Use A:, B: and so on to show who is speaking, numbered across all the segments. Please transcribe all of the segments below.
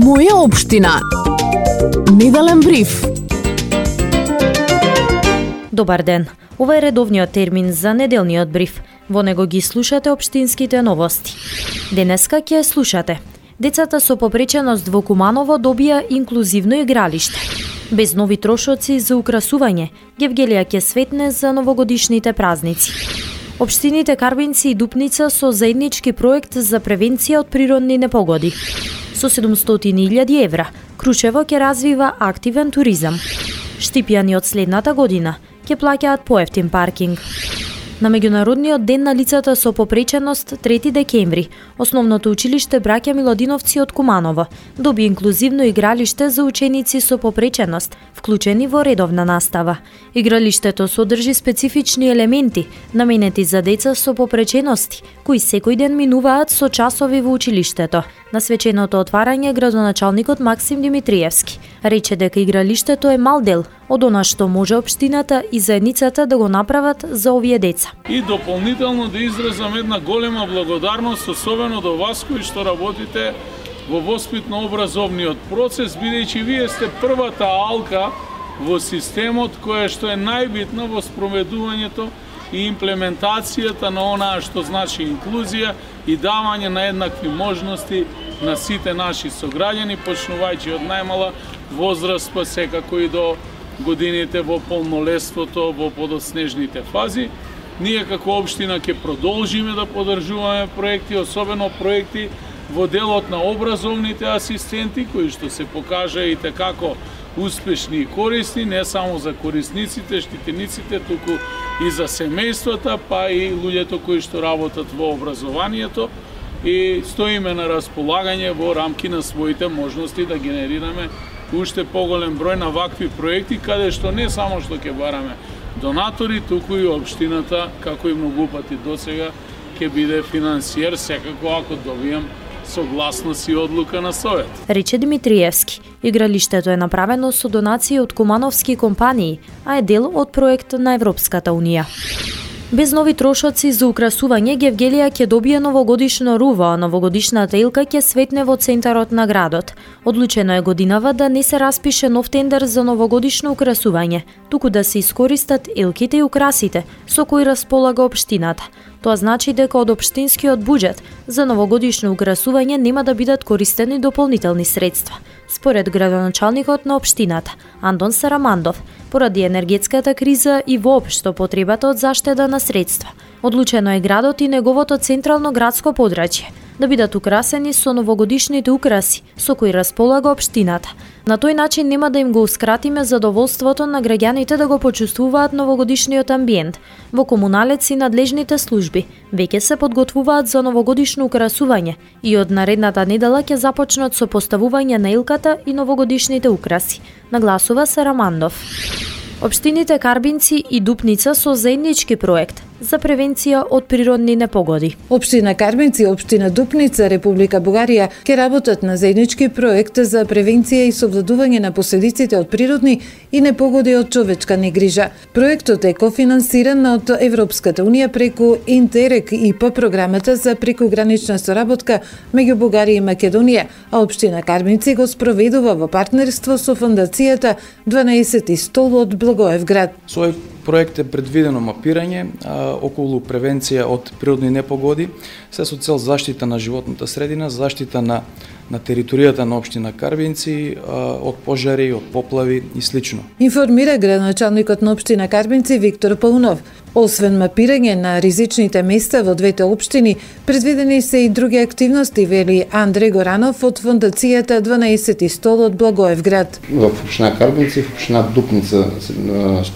A: Моја општина. Неделен бриф.
B: Добар ден. Ова е редовниот термин за неделниот бриф. Во него ги слушате општинските новости. Денеска ќе слушате: децата со попреченост во Куманово добија инклузивно игралиште. Без нови трошоци за украсување, Гевгелија ќе светне за новогодишните празници. Општините Карбинци и Дупница со заеднички проект за превенција од природни непогоди. Со 700.000 евра, Крушево ќе развива активен туризам. Штипјани од следната година ќе плаќаат поевтин паркинг. На Меѓународниот ден на лицата со попреченост 3 декември, Основното училиште Браќа Милодиновци од Куманово доби инклузивно игралиште за ученици со попреченост, вклучени во редовна настава. Игралиштето содржи специфични елементи, наменети за деца со попречености, кои секој ден минуваат со часови во училиштето. На свеченото отварање градоначалникот Максим Димитриевски рече дека игралиштето е мал дел од она што може општината и заедницата да го направат за овие деца.
C: И дополнително да изразам една голема благодарност, особено до вас кои што работите во воспитно-образовниот процес, бидејќи вие сте првата алка во системот која што е најбитна во спроведувањето и имплементацијата на онаа што значи инклузија и давање на еднакви можности на сите наши сограѓани, почнувајќи од најмала возраст па секако и до годините во полнолетството, во подоснежните фази. Ние како општина ќе продолжиме да поддржуваме проекти, особено проекти во делот на образовните асистенти, кои што се покажа и како успешни и корисни, не само за корисниците, штитениците, туку и за семејствата, па и луѓето кои што работат во образованието, и стоиме на располагање во рамки на своите можности да генерираме уште поголем број на вакви проекти, каде што не само што ќе бараме донатори, туку и општината, како и многу пати досега, ќе биде финансиер, секако ако добијам согласност и одлука на Совет.
B: Рече Димитриевски. Игралиштето е направено со донации од кумановски компании, а е дел од проект на Европската Унија. Без нови трошоци за украсување, Гевгелија ќе добие новогодишно руво, а новогодишната илка ќе светне во центарот на градот. Одлучено е годинава да не се распише нов тендер за новогодишно украсување, туку да се искористат илките и украсите со кои располага општината. Тоа значи дека од општинскиот буџет за новогодишно украсување нема да бидат користени дополнителни средства. Според градоначалникот на општината, Антон Сарамандов, поради енергетската криза и воопшто потребата од заштеда на средства, одлучено е градот и неговото централно градско подрачје да бидат украсени со новогодишните украси со кои располага општината. На тој начин нема да им гоускратиме задоволството на граѓаните да го почувствуваат новогодишниот амбиент. Во Комуналец и надлежните служби веќе се подготвуваат за новогодишно украсување и од наредната недела ќе започнат со поставување на илката и новогодишните украси, нагласува Сарамандов. Општините Карбинци и Дупница со заеднички проект за превенција од природни непогоди.
D: Општина Карбинци и општина Дупница, Република Бугарија, ќе работат на заеднички проект за превенција и совладување на последиците од природни и непогоди од човечка негрижа. Проектот е кофинансиран од Европската Унија преку Интерек ИПА, програмата за прекогранична соработка меѓу Бугарија и Македонија, а општина Карбинци го спроведува во партнерство со фондацијата 12 стол од Благоевград.
E: Со проект е предвидено мапирање околу превенција од природни непогоди, се со цел заштита на животната средина, заштита на територијата на општина Карбинци од пожари, од поплави и слично.
D: Информира градоначалникот на општина Карбинци Виктор Паунов. Освен мапирање на ризичните места во двете општини, предвидени се и други активности, вели Андреј Горанов од фондацијата 12 стол од Благоевград.
F: Во општина Карбинци, в општина Дупница,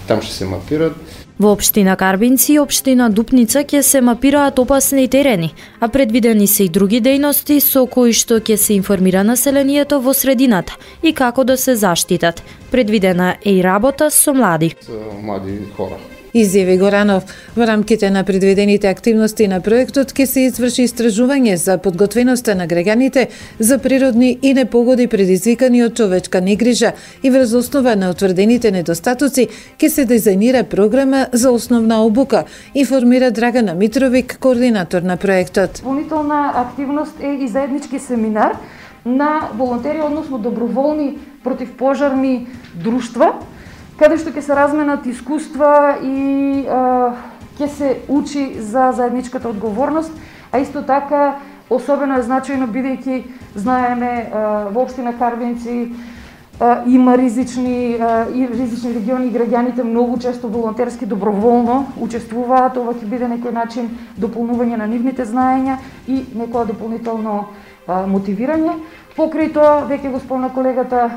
F: там ќе се мапираат.
B: Во општина Карбинци и општина Дупница ќе се мапираат опасни терени, а предвидени се и други дејности со кои што ќе се информира населението во средината и како да се заштитат. Предвидена е и работа со млади.
F: Млади хора.
D: Изјави Горанов. Во рамките на предвидените активности на проектот ќе се изврши истражување за подготвеноста на граѓаните за природни и непогоди предизвикани од човечка негрижа и врз основа на утврдените недостатоци ќе се дизајнира програма за основна обука, информира Драгана Митровик, координатор на проектот.
G: Дополнителна активност е и заеднички семинар на волонтери, односно доброволни противпожарни друштва, каде што ќе се разменат искуства и ќе се учи за заедничката одговорност, а исто така особено е значајно бидејќи знаеме во општина Карвинци има ризични региони и граѓаните многу често волонтерски доброволно учествуваат. Ова ќе биде некој начин дополнување на нивните знаења и некоја дополнително мотивирање. Покрај тоа, веќе го спомна колегата,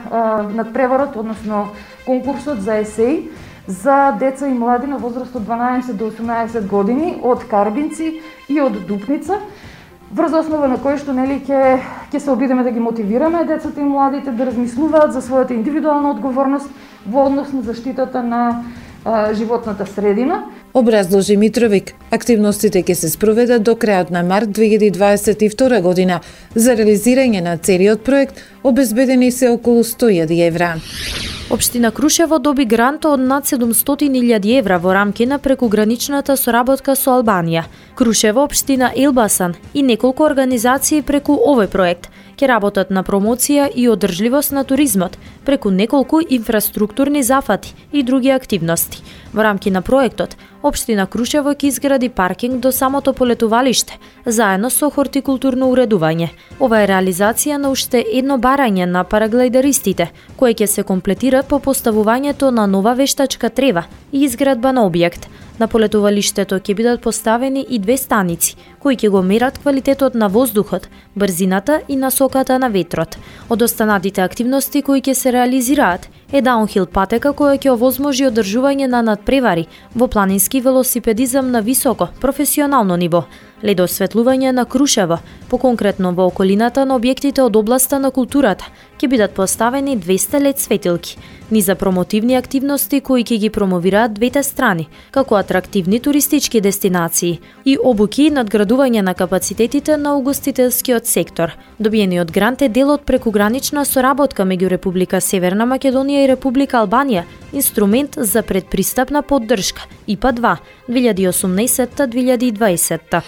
G: надпреварот, односно конкурсот за есеј за деца и млади на возраст од 12 до 18 години од Карбинци и од Дупница, врз основа на кој што ќе се обидеме да ги мотивираме децата и младите да размислуваат за својата индивидуална одговорност во однос на заштитата на животната средина.
D: Образложи Митровик, активностите ќе се спроведат до крајот на март 2022 година. За реализирање на целиот проект обезбедени се околу 100.000 евра.
B: Општина Крушево доби грант од над 700.000 евра во рамки на прекуграничната соработка со Албанија. Крушево, општина Елбасан и неколку организации преку овој проект ќе работат на промоција и одржливост на туризмот преку неколку инфраструктурни зафати и други активности. Во рамки на проектот, општина Крушево ќе изгради паркинг до самото полетувалиште, заедно со хортикултурно уредување. Ова е реализација на уште едно барање на параглайдеристите, кое ќе се комплетира по поставувањето на нова вештачка трева и изградба на објект. На полетувалиштето ќе бидат поставени и 2 станици, кои ќе го мерат квалитетот на воздухот, брзината и насоката на ветрот. Од останатите активности кои ќе се реализираат е даунхил патека која ќе овозможи одржување на надпревари во планински велосипедизам на високо, професионално ниво, ледосветлување на Крушево, поконкретно во околината на објектите од областа на културата, ќе бидат поставени 200 лед светилки, низа промотивни активности кои ќе ги промовираат двете страни, како атрактивни туристички дестинации и обуки и надградување на капацитетите на угостителскиот сектор. Добиениот грант е дел од прекугранична соработка меѓу Република Северна Македонија и Република Албанија, инструмент за предпристапна поддршка ИПА-2 2018-2020.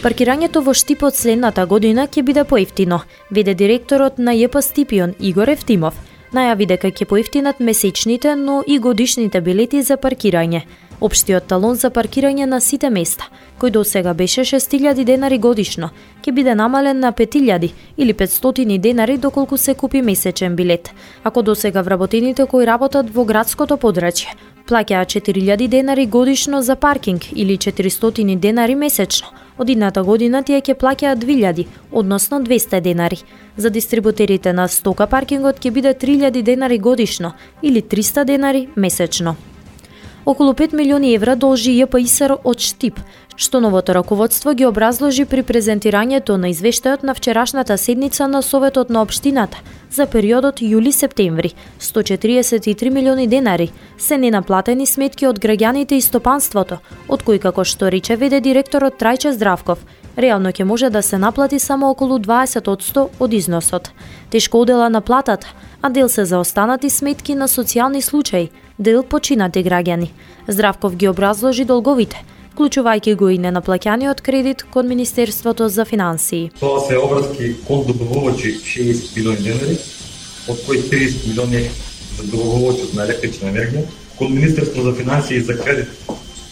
B: Паркирањето во Штипот следната година ќе биде поевтино, веде директорот на ЈП Стипион Игор Евтимов. Најави дека ќе поевтинат месечните, но и годишните билети за паркирање. Општиот талон за паркирање на сите места, кој до сега беше 6.000 денари годишно, ќе биде намален на 5.000 или 500 денари доколку се купи месечен билет. Ако до сега вработените кои работат во градското подрачје плаќаат 4.000 денари годишно за паркинг или 400 денари месечно, од идната година тие ќе плаќаат 2.000, односно 200 денари. За дистрибутерите на стока паркингот ќе биде 3.000 денари годишно или 300 денари месечно. Околу 5 милиони евра должи ЈПИСР од Штип, што новото раководство ги образложи при презентирањето на извештајот на вчерашната седница на Советот на општината за периодот јули-септември. 143 милиони денари се ненаплатени сметки од граѓаните и стопанството, од кои, како што рече веде директорот Трајче Здравков, реално ќе може да се наплати само околу 20% од износот. Тешко одела на платата, а дел се за останати сметки на социјални случаи, дел починати граѓани. Здравков ги образложи долговите, вклучувајќи го и ненаплаќаниот кредит кон Министерството за финансии.
H: Тоа се обврски кон добавувачи 60 милиони денари, од кои 30 милиони за добавувачот на електрична енергија, кон Министерство за финансии за кредит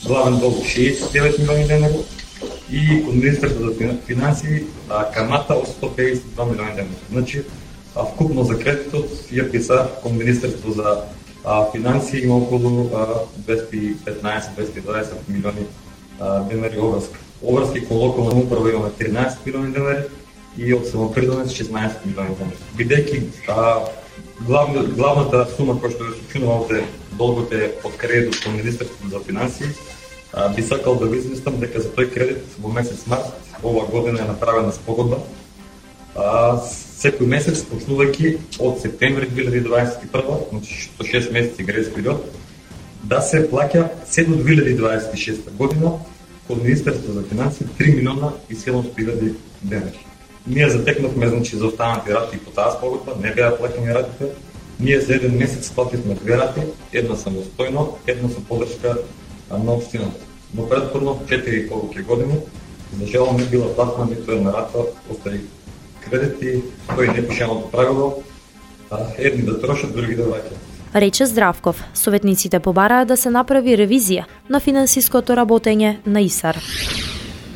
H: главен долг 69 милиони денари и кон Министерство за финансии камата од 152 милиони денари. Значи, вкупно за кредитот ЈПИСА кон Министерство за финансии има околу 215-220 милиони денари обврска. Обврски кон локална управа имаме 13 милиони денари и од самопридонес 16 милиони денари. Бидејќи главната сума која што ја сочинува овде долготе од кредитот кон Министерството за финансии, би сакал да ви известам дека за тој кредит во месец март ова година е направена спогодба. Секој месец, почнувајќи од септември 2021, значи 6 месеци грес период, да се плаќа се до 2026 година кон Министерство за финансии 3 милиона и 700.000 денари. Ние затекнавме, значи, за останати рати по таа спогодба, не беа плаќани ратите. Ние за еден месец плативме 2 рати, една самостојно, една со поддршка на општината. Но предходно 4,5 години, за жал не била платна ниту една рата, остави кредити, кои непишаното правило, едни да трошат, други да враќат.
B: Рече Здравков, советниците побараа да се направи ревизија на финансиското работење на ИСАР.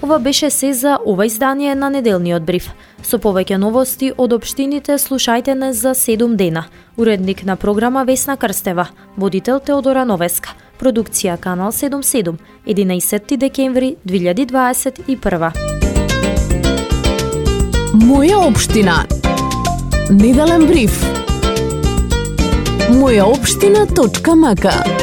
B: Ова беше се за ова издание на неделниот бриф. Со повеќе новости од општините слушајте не за 7 дена. Уредник на програма Весна Крстева, водител Теодора Новеска, продукција Канал 77, 11 декември 2021.
A: Моја општина. Неделен бриф. Мојаопштина.мк